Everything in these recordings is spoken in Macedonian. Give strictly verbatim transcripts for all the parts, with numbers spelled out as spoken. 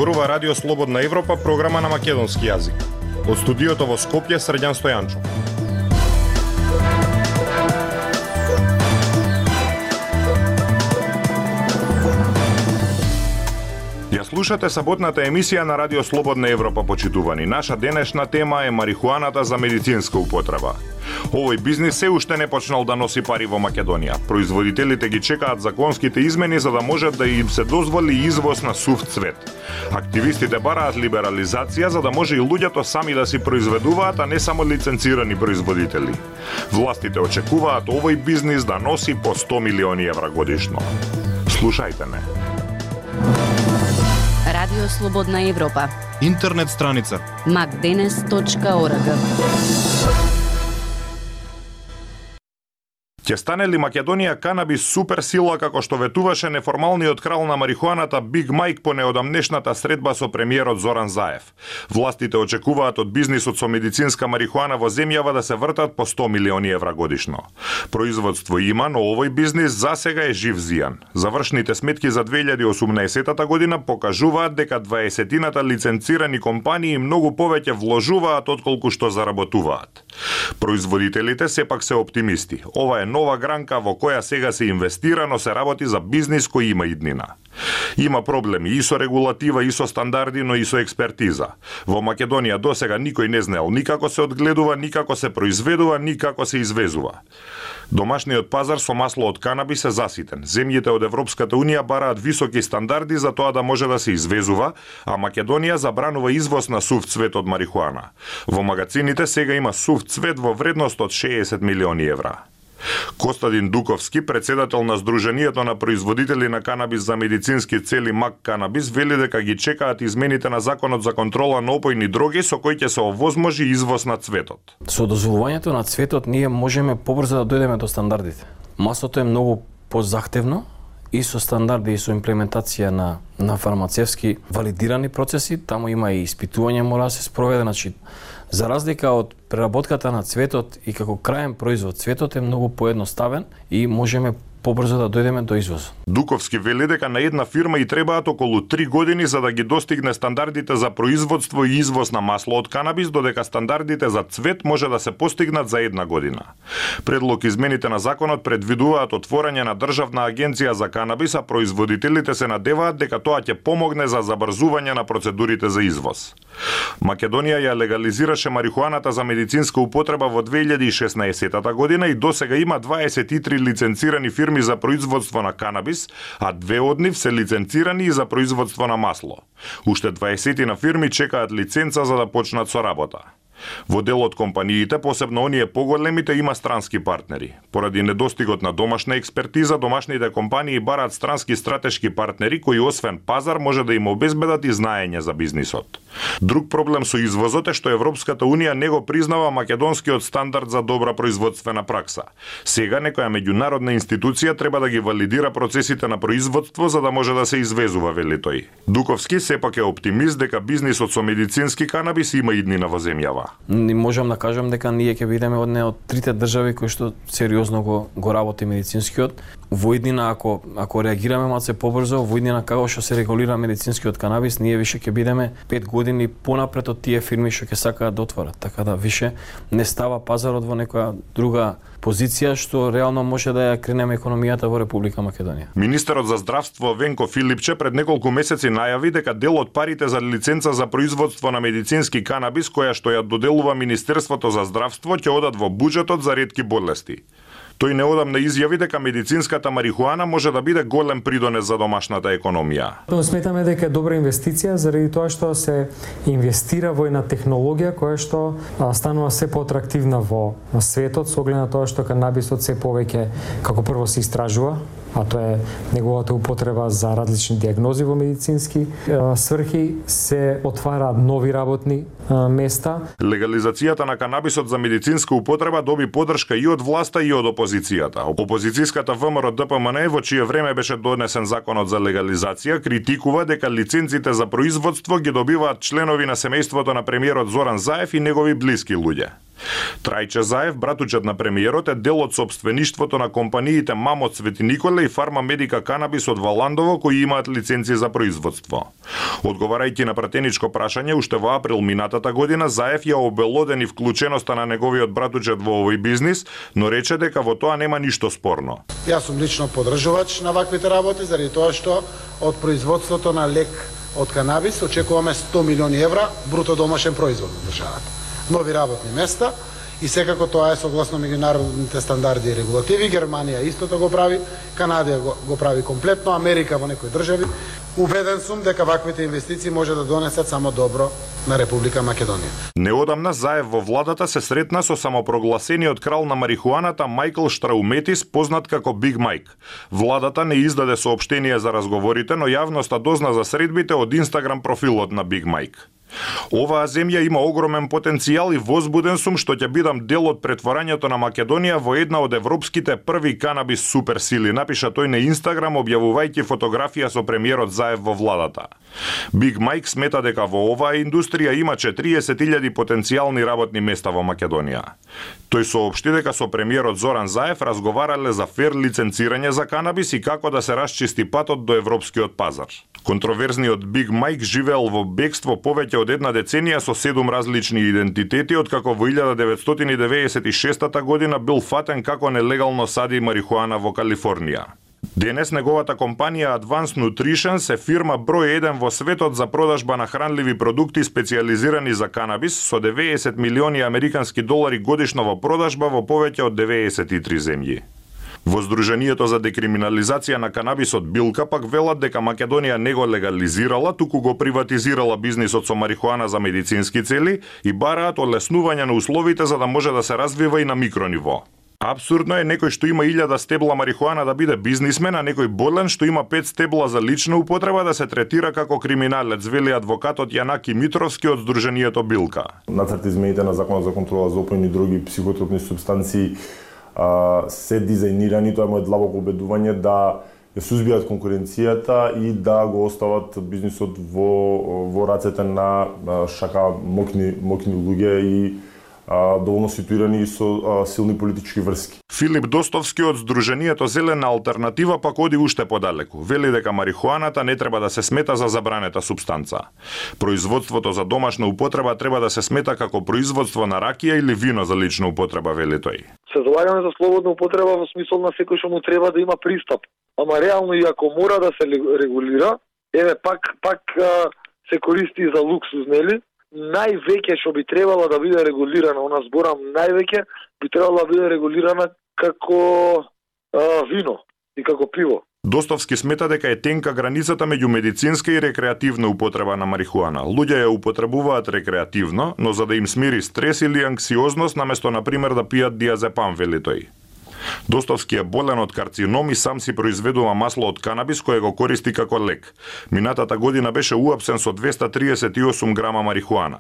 Зборува Радио Слободна Европа, програма на македонски јазик. Од студиото во Скопје, Срđan Стојанчов. Ја слушате саботната емисија на Радио Слободна Европа, почитувани. Наша денешна тема е марихуаната за медицинска употреба. Овој бизнис се уште не почнал да носи пари во Македонија. Производителите ги чекаат законските измени за да можат да им се дозволи извоз на сув цвет. Активистите бараат либерализација за да може и луѓето сами да си произведуваат, а не само лиценцирани производители. Властите очекуваат овој бизнис да носи по сто милиони евра годишно. Слушајте ме. Радио Слободна Европа. Интернет страница макденес точка орг. Ќе стане ли Македонија канабис суперсила како што ветуваше неформалниот крал на марихуаната Биг Мајк по неодамнешната средба со премиерот Зоран Заев? Властите очекуваат од бизнисот со медицинска марихуана во земјава да се вртат по сто милиони евра годишно. Производство има, но овој бизнис засега е жив зијан. Завршните сметки за две илјади и осумнаесета година покажуваат дека дваесетината лиценцирани компании многу повеќе вложуваат отколку што заработуваат. Производителите сепак се оптимисти. Ова е нова гранка во која сега се инвестира, но се работи за бизнис кој има иднина. Има проблеми и со регулатива, и со стандарди, но и со експертиза. Во Македонија досега никој не знаел никако се одгледува, никако се произведува, никако се извезува. Домашниот пазар со масло од канабис е заситен. Земјите од Европската Унија бараат високи стандарди за тоа да може да се извезува, а Македонија забранува извоз на сув цвет од марихуана. Во магазините сега има сув цвет во вредност од шеесет милиони евра. Костадин Дуковски, председател на Сдруженијето на производители на канабис за медицински цели МАК Канабис, вели дека ги чекаат измените на Законот за контрола на опојни дроги со кој ќе се овозможи извоз на цветот. Со дозволувањето на цветот ние можеме побрзо да дојдеме до стандардите. Маслото е многу позахтевно и со стандарди и со имплементација на на фармацевски валидирани процеси, таму има и испитување мора да се спроведе, значи за разлика од преработката на цветот и како краен производ, цветот е многу поедноставен и можеме побрзо да дојдеме до извоз. Дуковски вели дека на една фирма и требаат околу три години за да ги достигне стандардите за производство и извоз на масло од канабис, додека стандардите за цвет може да се постигнат за една година. Предлог измените на законот предвидуваат отворање на државна агенција за канабис, а производителите се надеваат дека тоа ќе помогне за забрзување на процедурите за извоз. Македонија ја легализираше марихуаната за медицинска употреба во две илјади и шеснаесета година и досега има дваесет и три лиценцирани фирми за производство на канабис, а две од нив се лиценцирани и за производство на масло. Уште дваесет на фирми чекаат лиценца за да почнат со работа. Во дел од компаниите, посебно оние поголемите, има странски партнери. Поради недостигот на домашна експертиза, домашните компании бараат странски стратешки партнери кои освен пазар може да им обезбедат и знаење за бизнисот. Друг проблем со извозот е што Европската Унија не го признава македонскиот стандард за добра производствена пракса. Сега некоја меѓународна институција треба да ги валидира процесите на производство за да може да се извезува, вели тој. Дуковски сепак е оптимист дека бизнисот со медицински канабис има иднина во земјава. Не можам да кажам дека ние ќе бидеме од не од трите држави кои што сериозно го го работи медицинскиот. Во иднина ако ако реагираме малце побрзо, во иднина како што се регулира медицинскиот канабис, ние више ќе бидеме пет години понапред од тие фирми што ќе сакаат да отворат. Така да више не става пазарот во некоја друга позиција што реално може да ја кренеме економијата во Република Македонија. Министерот за здравство Венко Филипче пред неколку месеци најави дека дел од парите за лиценца за производство на медицински канабис која што ја доделува Министерството за здравство ќе одат во буџетот за ретки болести. Тој неодамна изјави дека медицинската марихуана може да биде голем придонес за домашната економија. Сметаме дека е добра инвестиција заради тоа што се инвестира во една технологија која што станува се поатрактивна во светот со оглед на тоа што канабисот се повеќе како прво се истражува, а тоа е неговата употреба за различни диагнози во медицински сврхи, се отвара нови работни места. Легализацијата на канабисот за медицинска употреба доби поддршка и од власта и од опозицијата. Опозицијската ВМРО Д П М Н, во чие време беше донесен законот за легализација, критикува дека лиценците за производство ги добиваат членови на семејството на премиерот Зоран Заев и негови блиски луѓе. Трајче Заев, братучет на премиерот, е дел од сопствеништвото на компаниите Мамот Свети Николе и Фарма Медика Канабис од Валандово, кои имаат лиценци за производство. Одговарајќи на пратеничко прашање уште во април минатата година, Заев ја обелодени вклученоста на неговиот братучет во овој бизнис, но рече дека во тоа нема ништо спорно. Јас сум лично подржувач на ваквите работи, заради тоа што од производството на лек од канабис очекуваме сто милиони евра бруто домашен производ на државата. Нови работни места и секако тоа е согласно меѓународните стандарди и регулативи. Германија истото го прави, Канада го, го прави комплетно, Америка во некои држави. Убеден сум дека ваквите инвестиции може да донесат само добро на Република Македонија. Неодамна Заев во владата се сретна со самопрогласениот крал на марихуаната Мајкл Штрауметис, познат како Биг Майк. Владата не издаде соопштение за разговорите, но јавноста дозна за средбите од Инстаграм профилот на Биг Майк. Оваа земја има огромен потенцијал и возбуден сум што ќе бидам дел од претворањето на Македонија во една од европските први канабис суперсили, напиша тој на Инстаграм објавувајќи фотографија со премиерот Заев во владата. Биг Майк смета дека во оваа индустрија има четириесет илјади потенцијални работни места во Македонија. Тој соопшти дека со премиерот Зоран Заев разговарале за фер лиценцирање за канабис и како да се расчисти патот до европскиот пазар. Контроверзниот Биг Майк живеел во бегство повеќе од една деценија со седум различни идентитети, откако во илјада деветстотини деветдесет и шеста година бил фатен како нелегално сади марихуана во Калифорнија. Денес неговата компанија Advanced Nutrition е фирма број еден во светот за продажба на хранливи продукти специјализирани за канабис со деветдесет милиони американски долари годишно во продажба во повеќе од деветдесет и три земји. Во Сдруженијето за декриминализација на канабисот Билка пак велат дека Македонија не го легализирала, туку го приватизирала бизнисот со марихуана за медицински цели и бараат олеснување на условите за да може да се развива и на микрониво. Абсурдно е некој што има илјада стебла марихуана да биде бизнисмен, а некој болен што има пет стебла за лична употреба да се третира како криминалец, вели адвокатот Јанаки Митровски од Сдруженијето Билка. Нацрт измените на Законот за контрола за опојни и други психотропни супстанции Uh, се дизајнирани, тоа е моје длабоко убедување, да ја сузбијат конкуренцијата и да го остават бизнисот во, во рацете на uh, шака мокни, мокни луѓе и uh, доволно ситуирани со uh, силни политички врски. Филип Достовски од Сдруженијето Зелена алтернатива пак оди уште подалеку. Вели дека марихуаната не треба да се смета за забранета супстанца. Производството за домашна употреба треба да се смета како производство на ракија или вино за лична употреба, вели тој. Се залагаме за слободна употреба во смисол на секој што му треба да има пристап. Ама реално и ако мора да се регулира, еве пак пак а, се користи за луксуз, нели? Највеќе што би требало да биде регулирана, она зборам највеќе би требало да биде регулирана како а, вино и како пиво. Достовски смета дека е тенка границата меѓу медицинска и рекреативна употреба на марихуана. Луѓе ја употребуваат рекреативно, но за да им смири стрес или анксиозност, наместо например да пијат диазепам, вели тој. Достовски е болен од карцином и сам си произведува масло од канабис кое го користи како лек. Минатата година беше уапсен со двеста триесет и осум грама марихуана.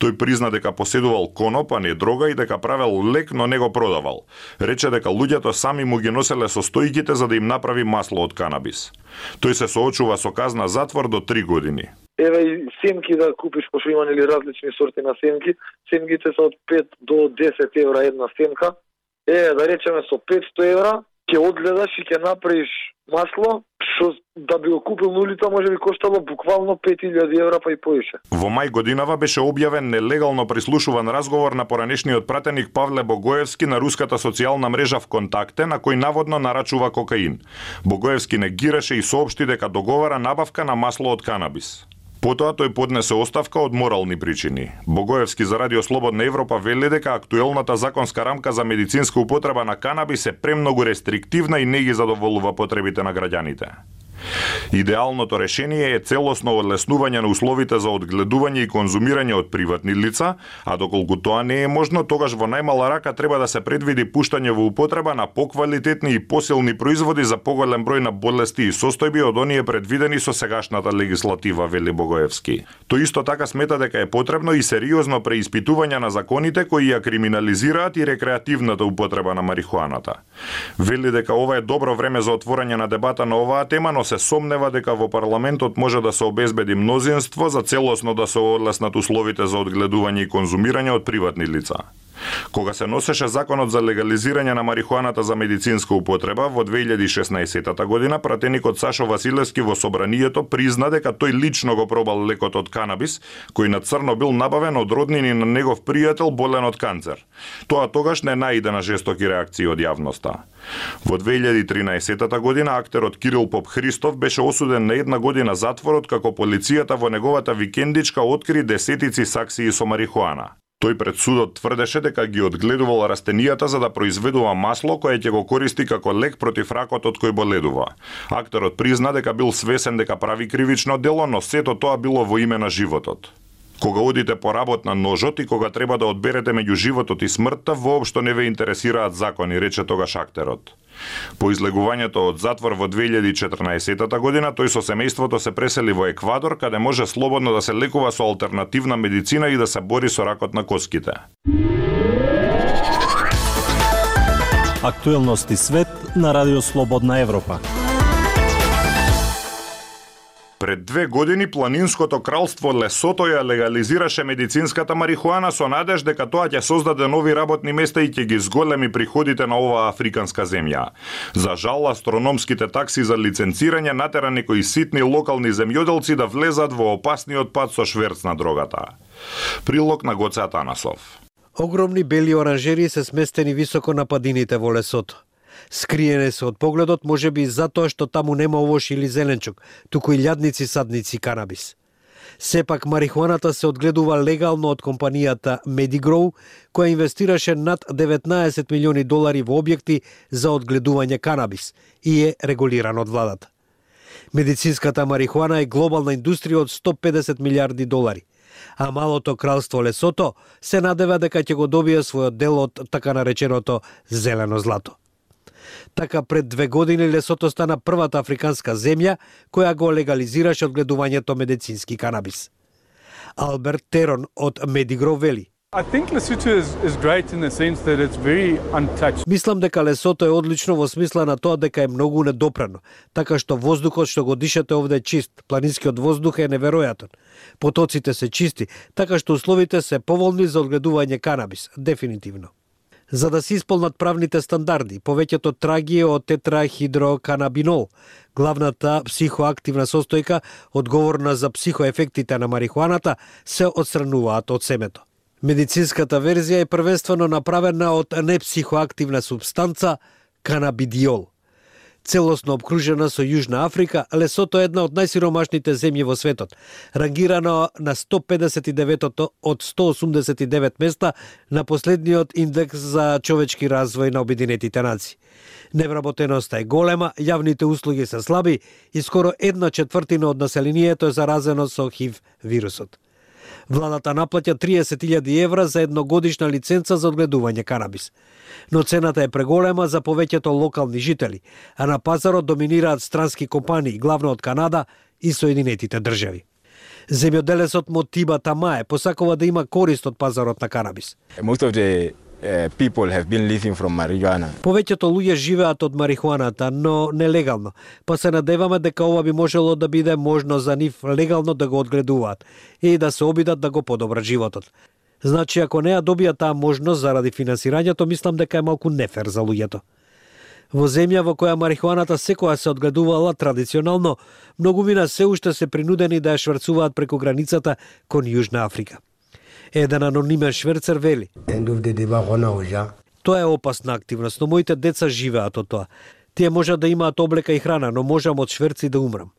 Тој призна дека поседувал коноп, а не дрога и дека правел лек, но не го продавал. Рече дека луѓето сами му ги носеле состојките за да им направи масло од канабис. Тој се соочува со казна затвор до три години. Еве и семки да купиш, пошто има нели различни сорти на семки. Семките се од пет до десет евра една семка. Е, да речеме со петсто евра, ќе одгледаш и ќе направиш масло, што да би го купил на улица може би коштало буквално пет илјади евра па и повише. Во мај годинава беше објавен нелегално прислушуван разговор на поранешниот пратеник Павле Богоевски на руската социјална мрежа ВКонтакте, на кој наводно нарачува кокаин. Богоевски негираше и соопшти дека договара набавка на масло од канабис. Потоа тој поднесе оставка од морални причини. Богоевски за Радио Слободна Европа вели дека актуелната законска рамка за медицинска употреба на канабис е премногу рестриктивна и не ги задоволува потребите на граѓаните. Идеалното решение е целосно олеснување на условите за одгледување и конзумирање од приватни лица, а доколку тоа не е можно, тогаш во најмала рака треба да се предвиди пуштање во употреба на поквалитетни и посилни производи за поголем број на болести и состојби од оние предвидени со сегашната легислатива, вели Богоевски. Тој исто така смета дека е потребно и сериозно преиспитување на законите кои ја криминализираат и рекреативната употреба на марихуаната. Вели дека ова е добро време за отворање на дебата на оваа тема, но се сомнева дека во парламентот може да се обезбеди мнозинство за целосно да се олеснат условите за одгледување и конзумирање од приватни лица. Кога се носеше законот за легализирање на марихуаната за медицинска употреба во две илјади и шеснаесетта година, пратеникот Сашо Василевски во собранието призна дека тој лично го пробал лекот од канабис, кој на црно бил набавен од роднини на негов пријател болен од канцер. Тоа тогаш не наиде на жестоки реакции од јавноста. Во две илјади и тринаесетта година актерот Кирил Поп Христов беше осуден на една година затворот како полицијата во неговата викендичка откри десетици саксии со марихуана. Тој пред судот тврдеше дека ги одгледувал растенијата за да произведува масло кое ќе го користи како лек против ракот од кој боледува. Актерот призна дека бил свесен дека прави кривично дело, но сето тоа било во име на животот. Кога одите по работ на ножот и кога треба да одберете меѓу животот и смртта, воопшто не ве интересираат закони, рече тогаш актерот. По излегувањето од затвор во две илјади и четрнаесетта година, тој со семејството се пресели во Еквадор, каде може слободно да се лекува со алтернативна медицина и да се бори со ракот на коските. Актуелности свет на Радио Слободна Европа. Пред две години планинското кралство Лесото ја легализираше медицинската марихуана со надеж дека тоа ќе создаде нови работни места и ќе ги зголеми приходите на оваа африканска земја. За жал, астрономските такси за лиценцирање натера некои ситни локални земјоделци да влезат во опасниот пат со шверц на дрогата. Прилог на Гоце Атанасов. Огромни бели оранжери се сместени високо на падините во Лесото. Скриене се од погледот, можеби затоа што таму нема овош или зеленчук, туку и лјадници, садници, канабис. Сепак марихуаната се одгледува легално од компанијата Medigrow, која инвестираше над деветнаесет милиони долари во објекти за одгледување канабис и е регулиран од владата. Медицинската марихуана е глобална индустрија од сто педесет милиарди долари, а малото кралство Лесото се надева дека ќе го добие својот дел од така нареченото зелено злато. Така пред две години Лесото стана првата африканска земја која го легализираше одгледувањето медицински канабис. Алберт Терон од Medigrow вели: I think Lesotho is, is great in the sense that it's very untouched. Мислам дека Лесото е одлично во смисла на тоа дека е многу недопрано, така што воздухот што го дишате овде е чист, планинскиот воздух е неверојатен. Потоците се чисти, така што условите се поволни за одгледување канабис, дефинитивно. За да се исполнат правните стандарди, повеќето траги од тетрахидроканабинол, главната психоактивна состојка одговорна за психоефектите на марихуаната, се отстрануваат од семето. Медицинската верзија е првенствено направена од непсихоактивна субстанца канабидиол. Целосно обкружена со Јужна Африка, Лесото е една од најсиромашните земји во светот, рангирано на сто педесет и деветото од сто осумдесет и девет места на последниот индекс за човечки развој на Обединетите нации. Невработеноста е голема, јавните услуги се слаби и скоро една четвртина од населението е заразено со ХИВ вирусот. Владата наплаќа триесет илјади евра за едногодишна лиценца за одгледување канабис. Но цената е преголема за повеќето локални жители, а на пазарот доминираат странски компании, главно од Канада и Соединетите држави. Земјоделецот Мотиба Тамае посакува да има корист од пазарот на канабис. Most of the uh, people have been living from marijuana. Повеќето луѓе живеат од марихуаната, но нелегално, па се надеваме дека ова би можело да биде можно за нив легално да го одгледуваат и да се обидат да го подобрат животот. Значи, ако не ја добија таа можност заради финансирањето, мислам дека е малку нефер за луѓето. Во земја во која марихуаната секоја се одгледувала традиционално, многумина се уште се принудени да ја шверцуваат преку границата кон Јужна Африка. Еден анонимен шверцер вели: Тоа е опасна активност, но моите деца живеат од тоа. Тие можат да имаат облека и храна, но можам од шверци да умрам.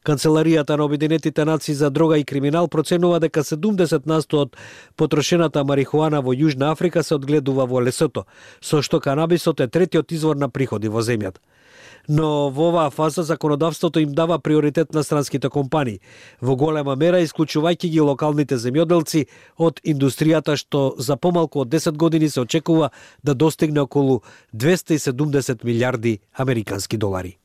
Канцеларијата на Обединетите нации за дрога и криминал проценува дека седумдесет на сто од потрошената марихуана во Јужна Африка се одгледува во Лесото, со што канабисот е третиот извор на приходи во земјата. Но во оваа фаза законодавството им дава приоритет на странските компании, во голема мера исклучувајќи ги локалните земјоделци од индустријата што за помалку од десет години се очекува да достигне околу двесте и седумдесет милиарди американски долари.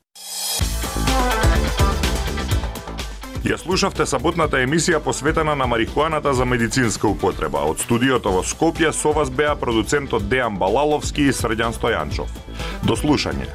Ја слушавте саботната емисија посветена на марихуаната за медицинска употреба. Од студиото во Скопје со вас беа продуцентот Дејан Балаловски и Срđan Стојанчов. До слушање.